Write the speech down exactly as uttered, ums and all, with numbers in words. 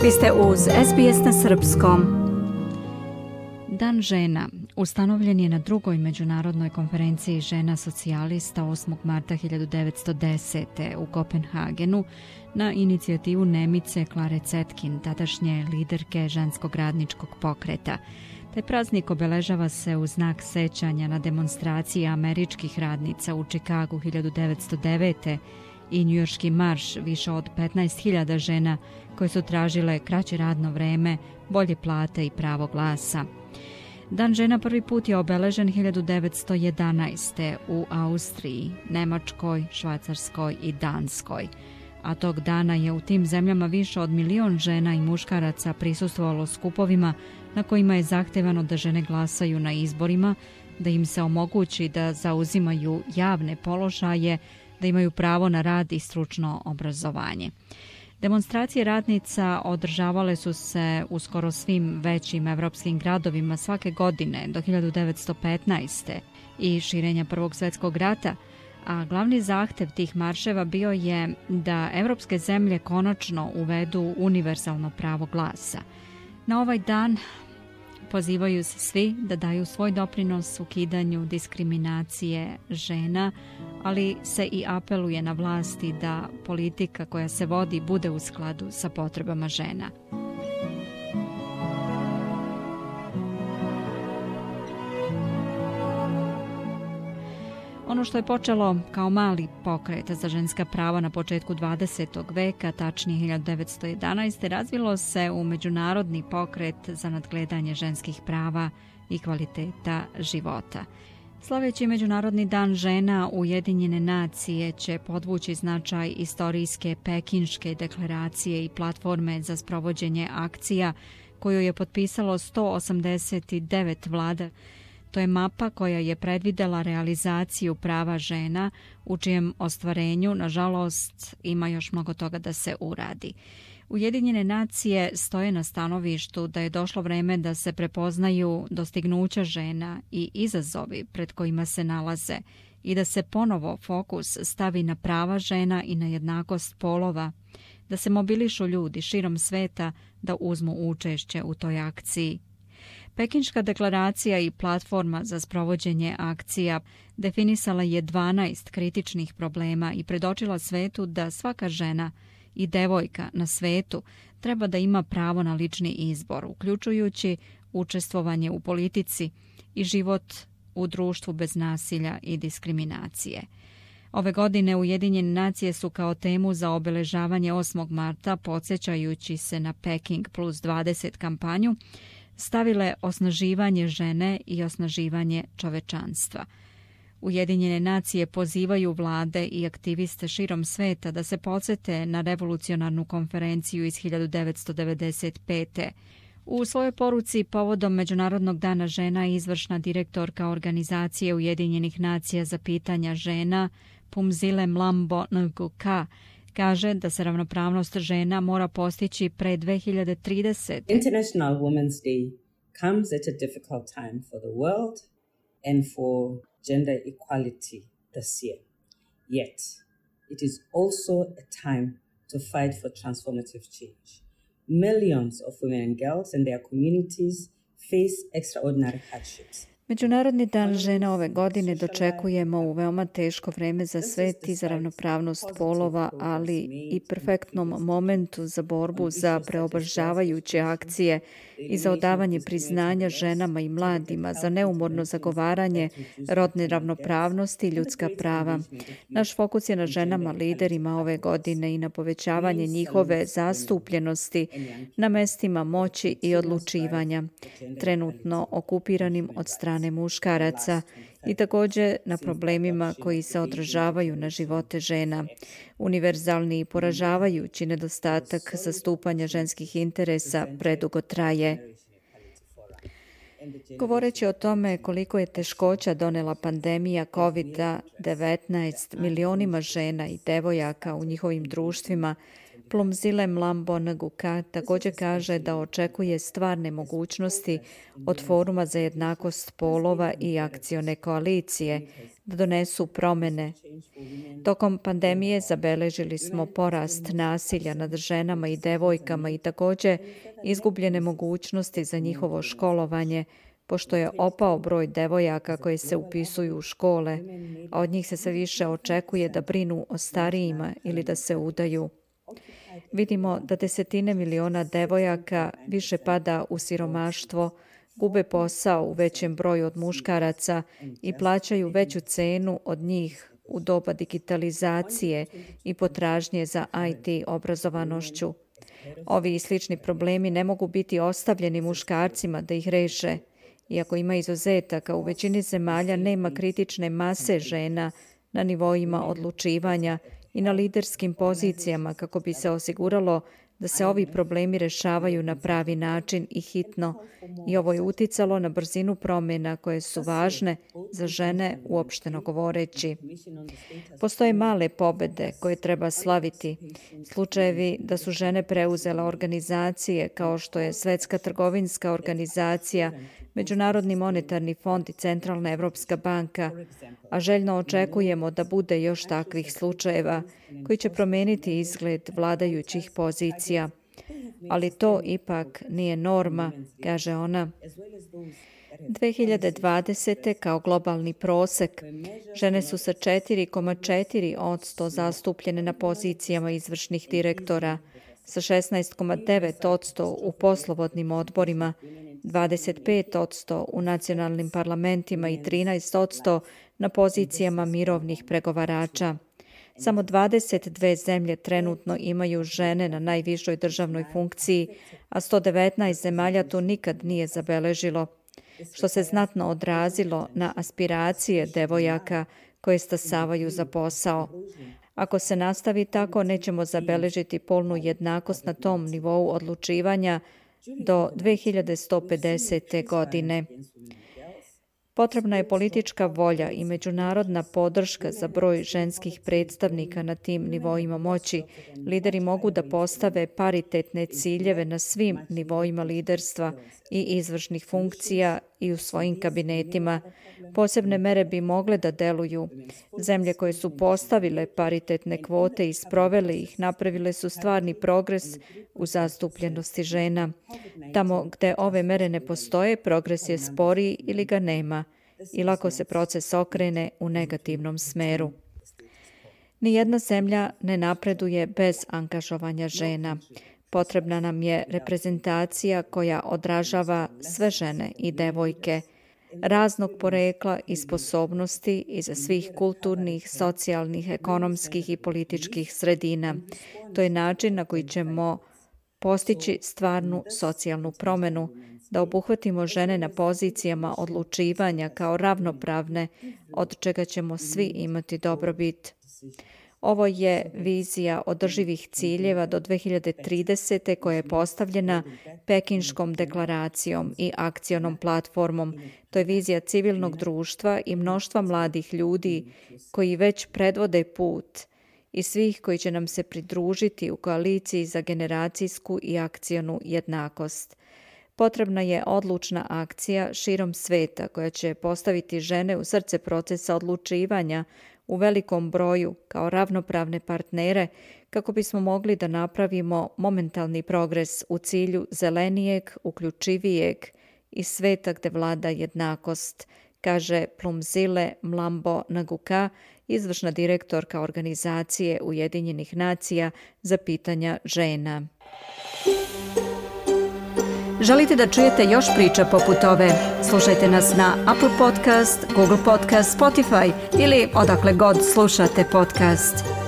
Vi ste uz S B S na srpskom. Dan žena ustanovljen je na drugoj međunarodnoj konferenciji žena socijalista osmog marta hiljadu devetsto desete. u Kopenhagenu na inicijativu Nemice Klare Zetkin, tadašnje liderke ženskog radničkog pokreta. Taj praznik obeležava se u znak sećanja na demonstracije američkih radnica u Čikagu hiljadu devetsto devete. i njujorški marš više od petnaest hiljada žena koje su tražile kraće radno vreme, bolje plate i pravo glasa. Dan žena prvi put je obeležen hiljadu devetsto jedanaeste. u Austriji, Nemačkoj, Švajcarskoj i Danskoj. A tog dana je u tim zemljama više od milion žena i muškaraca prisustvovalo skupovima na kojima je zahtevano da žene glasaju na izborima, da im se omogući da zauzimaju javne položaje, da imaju pravo na rad i stručno obrazovanje. Demonstracije radnica održavale su se u skoro svim većim evropskim gradovima svake godine do hiljadu devetsto petnaeste. i širenja Prvog svjetskog rata, a glavni zahtev tih marševa bio je da evropske zemlje konačno uvedu univerzalno pravo glasa. Na ovaj dan pozivaju se svi da daju svoj doprinos ukidanju diskriminacije žena, ali se i apeluje na vlasti da politika koja se vodi bude u skladu sa potrebama žena. Ono što je počelo kao mali pokret za ženska prava na početku dvadesetog veka, tačnije hiljadu devetsto jedanaeste. razvilo se u međunarodni pokret za nadgledanje ženskih prava i kvaliteta života. Slaveći Međunarodni dan žena, Ujedinjene nacije će podvući značaj istorijske Pekinške deklaracije i platforme za sprovođenje akcija koju je potpisalo sto osamdeset devet vlada. To je mapa koja je predvidela realizaciju prava žena, u čijem ostvarenju, nažalost, ima još mnogo toga da se uradi. Ujedinjene nacije stoje na stanovištu da je došlo vreme da se prepoznaju dostignuća žena i izazovi pred kojima se nalaze i da se ponovo fokus stavi na prava žena i na jednakost polova, da se mobilišu ljudi širom sveta da uzmu učešće u toj akciji. Pekinška deklaracija i platforma za sprovođenje akcija definisala je dvanaest kritičnih problema i predočila svetu da svaka žena i devojka na svetu treba da ima pravo na lični izbor, uključujući učestvovanje u politici i život u društvu bez nasilja i diskriminacije. Ove godine Ujedinjene nacije su kao temu za obeležavanje osmog marta, podsjećajući se na Peking plus dvadeset kampanju, stavile osnaživanje žene i osnaživanje čovečanstva. Ujedinjene nacije pozivaju vlade i aktiviste širom sveta da se podsete na revolucionarnu konferenciju iz hiljadu devetsto devedeset pete. U svojoj poruci povodom Međunarodnog dana žena izvršna direktorka Organizacije Ujedinjenih nacija za pitanja žena Phumzile Mlambo Ngcuka kaže da se ravnopravnost žena mora postići pre dve hiljade tridesete. International Women's Day comes at a difficult time for the world and for gender equality this year. Yet, it is also a time to fight for transformative change. Millions of women and girls and their communities face extraordinary hardships. Međunarodni dan žena ove godine dočekujemo u veoma teško vreme za svet i za ravnopravnost polova, ali i perfektnom momentu za borbu za preobrazavajuće akcije i za odavanje priznanja ženama i mladima, za neumorno zagovaranje rodne ravnopravnosti i ljudska prava. Naš fokus je na ženama liderima ove godine i na povećavanje njihove zastupljenosti na mestima moći i odlučivanja, trenutno okupiranim od strane muškaraca, i također na problemima koji se odražavaju na živote žena. Univerzalni i poražavajući nedostatak zastupanja ženskih interesa predugo traje. Govoreći o tome koliko je teškoća donela pandemija kovid devetnaest milionima žena i devojaka u njihovim društvima, Phumzile Mlambo Ngcuka također kaže da očekuje stvarne mogućnosti od Foruma za jednakost polova i akcione koalicije da donesu promjene. Tokom pandemije zabeležili smo porast nasilja nad ženama i devojkama i također izgubljene mogućnosti za njihovo školovanje, pošto je opao broj devojaka koje se upisuju u škole, a od njih se sve više očekuje da brinu o starijima ili da se udaju. Vidimo da desetine miliona devojaka više pada u siromaštvo, gube posao u većem broju od muškaraca i plaćaju veću cenu od njih u doba digitalizacije i potražnje za I T obrazovanošću. Ovi i slični problemi ne mogu biti ostavljeni muškarcima da ih reše. Iako ima izuzetaka, u većini zemalja nema kritične mase žena na nivoima odlučivanja i na liderskim pozicijama kako bi se osiguralo da se ovi problemi rešavaju na pravi način i hitno. I ovo je uticalo na brzinu promjena koje su važne za žene uopšteno govoreći. Postoje male pobede koje treba slaviti. Slučajevi da su žene preuzele organizacije kao što je Svetska trgovinska organizacija, Međunarodni monetarni fond i Centralna Evropska banka, a željno očekujemo da bude još takvih slučajeva koji će promijeniti izgled vladajućih pozicija. Ali to ipak nije norma, kaže ona. dve hiljade dvadesete kao globalni prosek, žene su sa četiri zarez četiri posto zastupljene na pozicijama izvršnih direktora, sa šesnaest zarez devet posto u poslovodnim odborima, dvadeset pet posto u nacionalnim parlamentima i trinaest posto na pozicijama mirovnih pregovarača. Samo dvadeset dve zemlje trenutno imaju žene na najvišoj državnoj funkciji, a sto devetnaest zemalja to nikad nije zabeležilo, što se znatno odrazilo na aspiracije devojaka koje stasavaju za posao. Ako se nastavi tako, nećemo zabeležiti polnu jednakost na tom nivou odlučivanja do dve hiljade sto pedesete. godine. Potrebna je politička volja i međunarodna podrška za broj ženskih predstavnika na tim nivoima moći. Lideri mogu da postave paritetne ciljeve na svim nivoima liderstva i izvršnih funkcija i u svojim kabinetima. Posebne mere bi mogle da deluju. Zemlje koje su postavile paritetne kvote i sprovele ih napravile su stvarni progres u zastupljenosti žena. Tamo gde ove mere ne postoje, progres je sporiji ili ga nema i lako se proces okrene u negativnom smeru. Nijedna zemlja ne napreduje bez angažovanja žena. Potrebna nam je reprezentacija koja odražava sve žene i devojke, raznog porekla i sposobnosti iza svih kulturnih, socijalnih, ekonomskih i političkih sredina. To je način na koji ćemo postići stvarnu socijalnu promjenu, da obuhvatimo žene na pozicijama odlučivanja kao ravnopravne, od čega ćemo svi imati dobrobit. Ovo je vizija održivih ciljeva do dve hiljade tridesete. koja je postavljena Pekinškom deklaracijom i akcionom platformom. To je vizija civilnog društva i mnoštva mladih ljudi koji već predvode put i svih koji će nam se pridružiti u koaliciji za generacijsku i akcionu jednakost. Potrebna je odlučna akcija širom sveta koja će postaviti žene u srce procesa odlučivanja u velikom broju kao ravnopravne partnere kako bismo mogli da napravimo momentalni progres u cilju zelenijeg, uključivijeg i sveta gde vlada jednakost, kaže Plumzile Mlambo Nguka, izvršna direktorka organizacije Ujedinjenih nacija za pitanja žena. Želite da čujete još priča poput ove? Slušajte nas na Apple Podcast, Google Podcast, Spotify ili odakle god slušate podcast.